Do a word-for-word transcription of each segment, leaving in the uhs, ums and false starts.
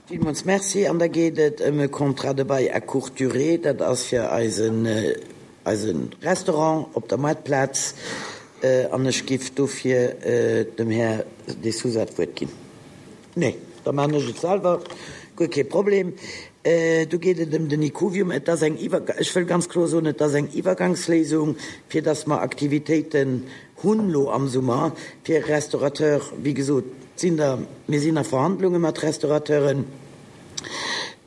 Villmools Merci. An da geet et ëm e Contrat de bail à courte durée. Dat ass fir eisen, eise Restaurant op der Moartplaz. An ech giff dofir dem Här De Sousa d'Wuert ginn. Nee, da maachen ech et selwer, guer kee Problem. Do geet et ëm den Icuvium. Et ass eng Iwwer, ech wëll ganz kloer soen, et ass eng Iwwergangsléisung, fir dass mer Aktivitéiten hunn elo am Summer fir Restaurateur. Wéi gesot, sinn der, mir sinn a Verhandlunge mat Restaurateuren.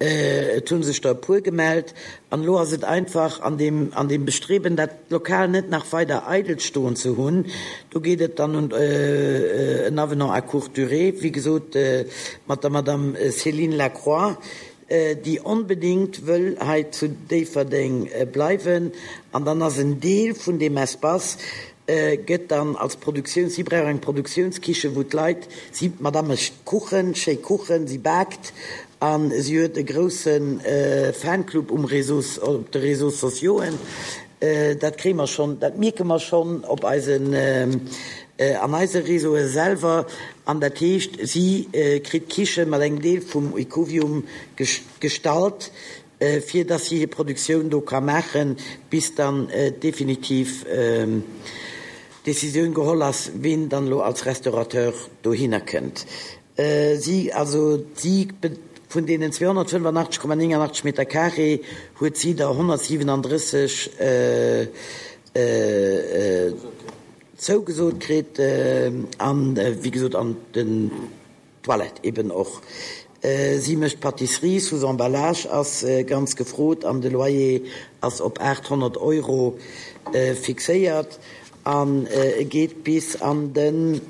Et hu sech der e puer gemellt. An elo ass et einfach an deem, an deem Bestreben, dat Lokal net nach weider eidel stoen ze hunn, do geet et dann un en Avenant à courte durée, wéi gesot, mat der Madame Céline Lacroix, déi onbedéngt wëll hei zu Déifferdeng bleiwen. An dann ass en Deel vun deem Espace gëtt dann als Produktiouns, si brauch eng Produktiounskichen, wou d'Leit, si, d'Madame mécht Kuchen, schéi Kuchen, si baakt a si huet e grousse Fanclub um Réseau, op de Réseaux sociauxen. Dat kréie mer schonn, dat mierke mer schonn op eisen, an eise Réseaue selwer. An dat heescht, si kritt d'Kiche mat engem Deel vum Ecovium gestallt, fir dass si hir Produktioun do ka maachen, bis dann definitiv d'Décisioun geholl ass, ween dann elo als Restaurateur dohinner kënnt. Si, also si, vun deenen zweehonnertfënnefanachteg Komma nénganachteg Meter carré huet si der honnertsiwenandrësseg zougesot kritt an, wéi gesot, an den Toilette eben och. Si mécht Pâtisserie sous emballage, ass ganz gefrot an de Loyer ass op aathonnert Euro fixéiert an e geet bis an de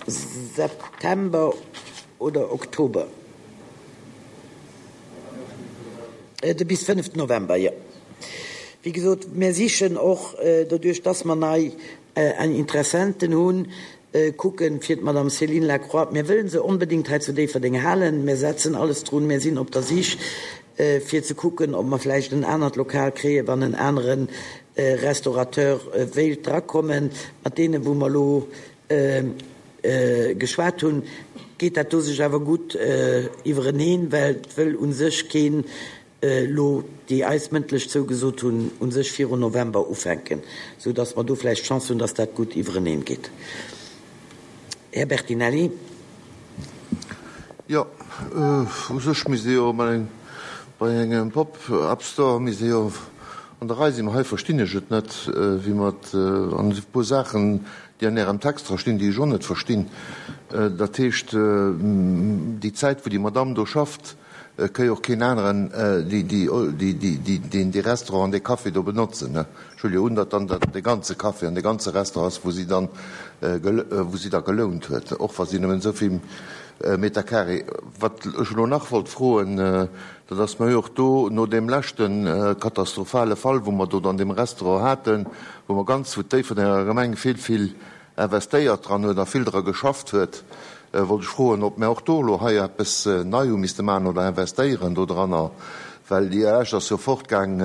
September oder Oktober, de bis fënneften November, jo. Wéi gesot, mir sichen och, doduerch dass mer nei Interessenten hunn, kucken, fir d'Madame Céline Lacroix, mir wëllen se onbedéngt hei zu Déifferdeng halen, mir setzen alles drun, mir sinn op der Sich, fir ze kucken, ob mer vläicht en anert Lokal kréien, wann en anere Restaurateur wéilt drakommen. Mat deenen, wou mer elo geschwat hunn, geet dat do sech awer gutt iwwereneen, well et wëll u sech keen elo, déi eis mëndlech zougesot hunn, u sech virun November ufänken, sou dass mer do vläicht d'Chance hunn, dass dat gutt iwwereneen geet. Här Bertinelli. Jo, u sech misst ee jo bei engem Pop-up-Store misst ee jo an der Rei sinn. Mä hei verstinn ech et net, wéi mer et an e puer Saachen, déi an Ärem Text dra stinn, déi ech och net verstinn. Dat heescht, déi Zäit, wou déi Madamm do schafft, Et ka jo och keen aneren deen dee Restaurant an dee Café do benotzen. Ech huele jo un, datt dann dat de ganze Café an de ganze Restaurant ass, wou si dann, wou si da gelount huet, och wa si nëmmen esou vill Meter carré. Wat ech elo nach wollt froen, dat ass, mer hu jo och do no deem leschte katastrophale Fall, wou mer do an deem Restaurant haten, wou mer ganz, wou d'Déifferdenger Gemeng vill, vill investéiert dran huet a vill dra geschafft huet, wollt ech froen, ob mär och do elo hei eppes nei hu misste maachen oder investéieren do dranner, well déi Esch ass jo fortgaang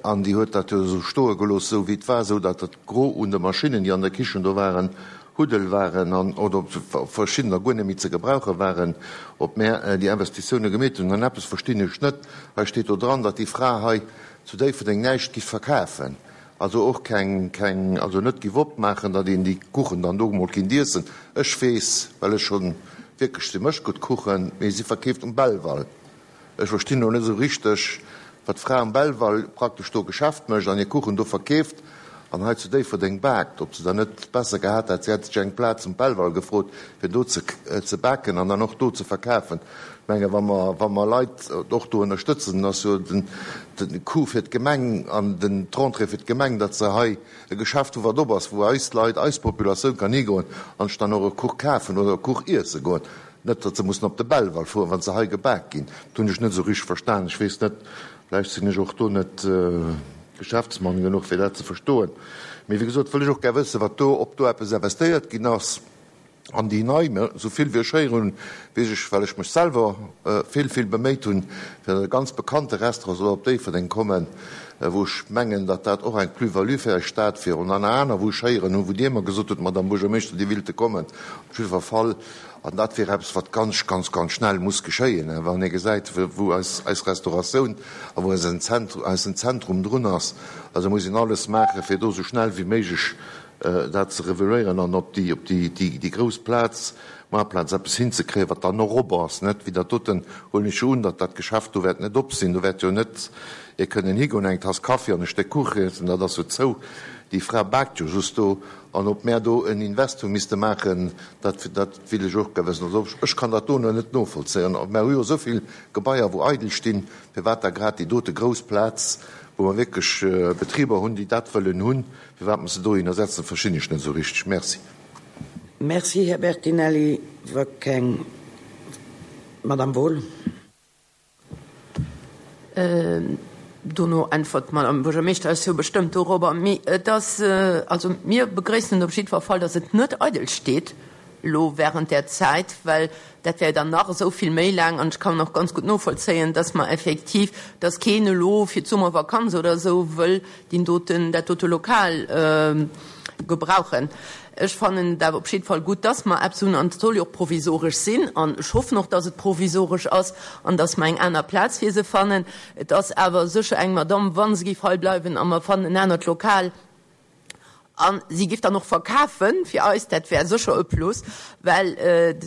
an déi huet dat jo esou stoe gelooss, esou wéi et war, esou datt dat Gros un de Maschinnen, déi an der Kichen do waren, Huddel waren an oder ob verschiddener guer net méi ze gebrauche waren, ob mär déi Investitioune gemeet hunn. An eppes verstinn ech net, hei steet do dran, datt déi Fra hei zu Déifferdeng näischt giff verkafen. Also och keng, keng, also net giff opmaachen, datt een déi Kuchen dann do emol kinnt iessen. Ech weess, well ech schonn wierklech, si mécht gutt Kuchen, mee si verkeeft um Belval. Ech verstinn elo net esou richteg, wat d'Fra um Belval praktesch do Geschäft mécht an hir Kuchen do verkeeft an hei zu Déifferdeng baakt. Ob se dann net besser gehat hätt, si hätt sech eng Plaz um Belval gefrot, fir do ze, ze baken an dann och do ze verkafen. Ech menge wa mer, wa mer Leit och do ënnerstëtzen, dann ass jo den, den Coût fir d'Gemeng an den, d'Rentrée fir d'Gemeng, datt se hei e Geschäft hu wat op ass, wou eis Leit, eis Populatioun kann higoen an sech dann och e Kuch kafen oder e Kuch iesse goen. Net, datt se mussen op de Belval fueren, wa se hei gebak ginn. Dat hunn ech net esou richteg verstan. Ech weess net, vläicht sinn ech och do net Geschäftsmann genuch, fir dat ze verstoen. Mee wéi gesot, wëll ech och gär wëssen, wat do, ob do eppes investéiert ginn ass. An déi nei, esou vill wéi ech héieren hunn, weess ech, well ech mech selwer vill, vill beméit hunn, fir datt e ganz bekannte Restaurant soll op Déifferdeng kommen, wou ech mengen, datt dat och eng Plus-value fir eis Stad wier. An aner, wou ech héieren hunn, wou Dir mer gesot hutt, Madame Buergermeeschter, déi willte kommen, op jiddwer Fall. An dat wier eppes, wat ganz, ganz, ganz schnell muss geschéien, wann ee gesäit, wou eis, eis Restauratioun a wou eisen Zentrum, eisen Zentrum drun ass. Also muss een alles maachen, fir do esou schnell wéi méiglech dat ze reveléieren an op déi, op déi, déi, déi grouss Plaz, Maartplaz, eppes hinzekréien, wat dann och op ass, net wéi dat doten, huelen ech jo un, datt dat Geschäft do wäert net op sinn. Do wäert jo net ee kënnen higoen, eng Tass Kaffi an e Stéck Kuch iessen, dat ass jo zou. Déi Fra baakt jo just do. An ob mär do en Invest hu misste maachen, dat, dat will ech och gär wëssen. Also ech kann dat dono net novollzéien. Mär hu jo esou vill Gebaier, wou eidel stinn, firwat da grad déi dote grouss Plaz, wou mer wierklech Betriber hunn, déi dat wëllen hunn, firwat mer se dohinner setzen, verstinn ech net esou richteg. Merci. Merci, Här Bertinelli. Wa keng. Madame Wohl. Dono äntwert d'Madame Buergermeeschter eis jo bestëmmt dorobber. Mee et ass, also mir begréissen et op jiddwer Fall, dass et net eidel steet elo während där Zäit, well dat wär dann nach esou vill méi laang. An ech kann och ganz gutt novollzéien, dass mer effektiv, dass keen elo fir d'Summervakanz oder esou wëll deen doten, dat dote Lokal gebrauchen. Ech fannen et awer op jidde Fall gutt, dass mer eppes hunn, an et soll jo och provisoresch sinn, an ech hoffen och, dass et provisoresch ass an dass mer eng aner Plaz fir se fannen. Et ass awer sécher eng Madamm, wa se géif hei bleiwen a mer fannen en anert Lokal a si géif dann och verkafe fir eis, dat wär sécher e Plus, well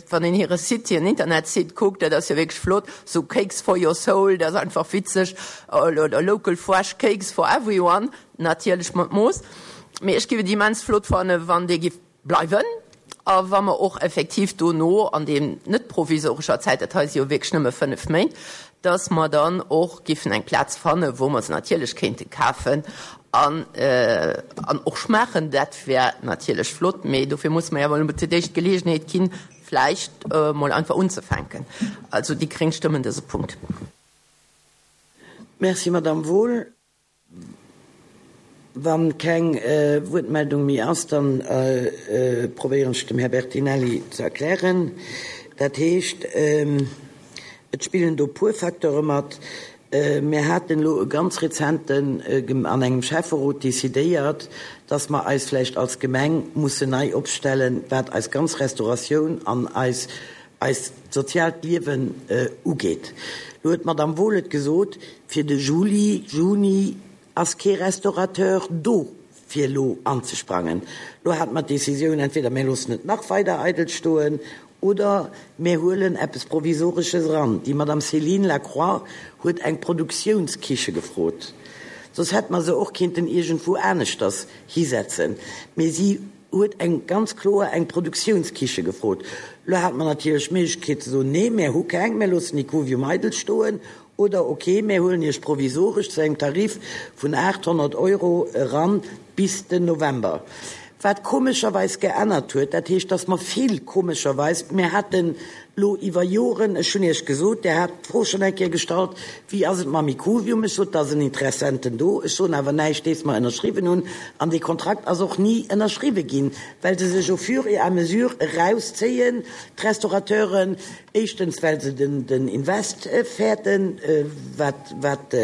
wann een hire Site, hiren Internetsite kuckt, dat ass jo wierklech flott, sou Cakes for your soul, dat ass einfach witzeg, oder Local fresh cakes for everyone, natierlech mat Mooss. Mee ech géif et immens flott fannen, wann dee géif bleiwen a wa mer och effektiv dono an deem net provisorescher Zäit, dat hei si jo wierklech nëmme fënnef Méint, dass mer dann och géifen eng Plaz fannen, wou mer se natierlech kéinte kafen an an och schmaachen. Dat wär natierlech flott, mee dofir musse mer jo awer elo fir d'éischt d'Geleegenheet ginn, vläicht emol einfach unzefänken. Also déi gréng stëmmen dëse Punkt. Merci, Madame Wohl. Wa keng Wuertmeldung méi ass, da probéieren ech dem Här Bertinelli ze erklären. Dat heescht, et spillen do puer Facteure mat. Mir haten elo e ganz rezenten an engem Schäfferot decidéiert, dass mer eis vläicht als Gemeng mussen nei opstellen, wat eis ganz Restauratioun an eis eist soziaalt Liewen ugeet. Elo huet d'Madame Wohl et gesot, fir de Juli, Juni ass kee Restaurateur do fir elo anzesprangen. Elo hate mer d'Decisioun, entweder mir loossen et nach weider eidel stoen oder mir huelen eppes Provisoresches eran. Déi Madame Céline Lacroix huet eng Produktiounskiche gefrot, soss hätte mer se och kinnten iergendwou aneschters hisetzen, mee si huet eng ganz kloer eng Produktiounskiche gefrot. Elo hate mer natierlech d'Méiglechkeet ze soen, nee, mir hu keng, mir loossen déi Cuvium eidel stoen, oder ok, mir huelen Iech provisoresch zu engem Tarif vun aacht honnert Euro eran bis den November. Wat komescherweis geännert huet, dat heescht, dass mer vill komescherweis, mir haten lo iwwer Joren, ech hunn Iech gesot, Dir hat d'Fro schonn eng Kéier gestallt, wéi ass et mam Ikuvium, ech sot, da sinn Interessenten do, ech soen awer näischt, dees mer ënnerschriwwen hunn, an dee Kontrakt ass och ni ënnerschriwwe ginn, well se sech au fur et à mesure erauszéien, d'Restaurateuren, éischtens well se den, den Invest fäerten, wat, wat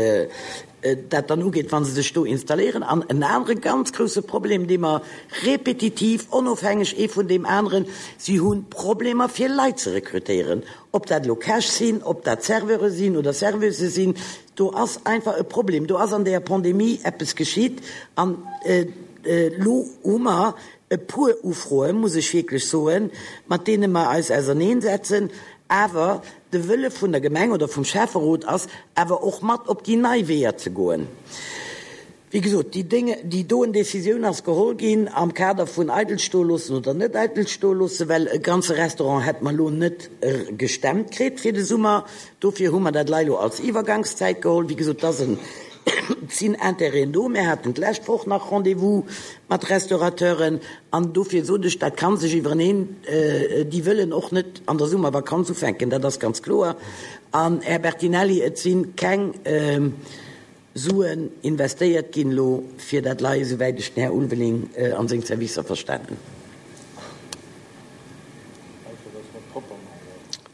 dat dann ugeet, wa se sech do installéieren. An en anere ganz grousse Problem, dee mer repetitiv, onofhängeg ee vun deem aneren, si hu Problemer fir Leit ze rekrutéieren, ob dat elo Käch sinn, ob dat Serveure sinn oder Serveusë sinn, do ass einfach e Problem. Do ass an där Pandemie eppes geschitt an elo hu mer e puer Ufroen, muss ech wierklech soen, mat deene mer eis auserneensetzen, awer de Wëlle vun der Gemeng oder vum Schäfferot ass awer och mat op déi nei Weeër ze goen. Wéi gesot, déi Dénge, déi doen Décisioun ass geholl ginn am Kader vun eidel stoe loossen oder net eidel stoe loossen, well e ganze Restaurant hätt mer elo net gestemmt kritt fir de Summer. Dofir hu mer dat lei elo als Iwwergangszäit geholl. Wéi gesot, et ass en, et sinn Intérêten do. Mir haten d'lescht Woch nach Rendez-vous mat Restaurateuren an dofir sot ech, dat ka sech iwwereneen, déi wëllen och net an der Summervakanz ufänken, dat ass ganz kloer. An, Här Bertinelli, et si keng Suen investéiert ginn elo fir dat lei, esouwäit ech den Här Ulveling an seng Servicer verstanen hunn.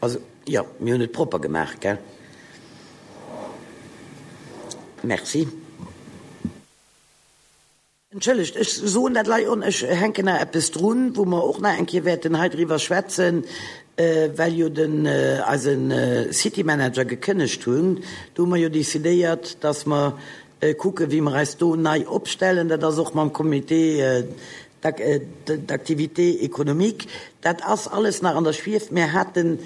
Also, jo, mir hunn et propper gemaach, gell? Merci. Entschëllegt, ech soen dat lei on, ech hänken nach eppes drun, wou mer och nach eng Kéier wäerten hei driwwer schwätzen, well jo den eise City Manager gekënnegt hunn. Do hu mer jo decidéiert, dass mer kucken, wéi mer eis do nei opstellen. Dat ass och mam Comité d'activité économique. Dat ass alles nach an der Schwief. Mir haten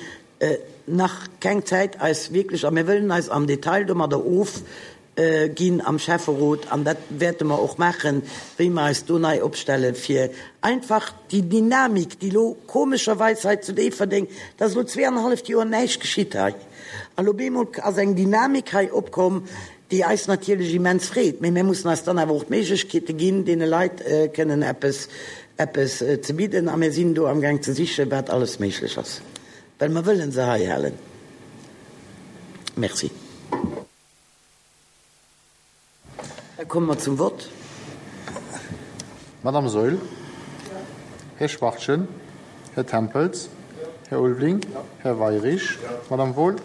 nach keng Zäit, eis wierklech, a mir wëllen eis am Detail domadder ofginn am Schäfferot, an dat wäerte mer och maachen, wéi mer eis do nei opstellen, fir einfach déi Dynamik, déi elo komescherweis hei zu Déifferdeng, et ass elo zwee an e halleft Joer näischt geschitt hei, an elo bemol ass eng Dynamik hei opkomm, déi eis natierlech immens freet, mee mir mussen eis dann awer och d'Méiglechkeete ginn, deene Leit kënnen eppes, eppes ze bidden. A mir sinn do amgaang ze sichen, wat alles méiglech ass, well mer wëlle se hei halen. Merci. Da komme mer zum Vott. Madame Saeul. Här Schwachtgen. Här Tempels. Här Ulveling. Här Weyrich. Madame Wohl.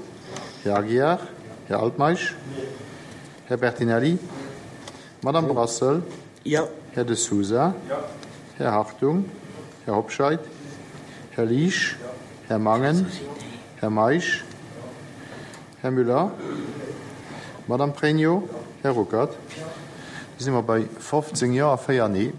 Här Aguiar. Här Altmeisch. Här Bertinelli. Madame Brassel. Jo. Här De Sousa. Här Hartung. Här Hobscheit. Här Liesch. Här Mangen. Här Meisch. Här Müller. Madame Pregno. Här Ruckert. Da si mer bei fofzéng Jo a véier Nee.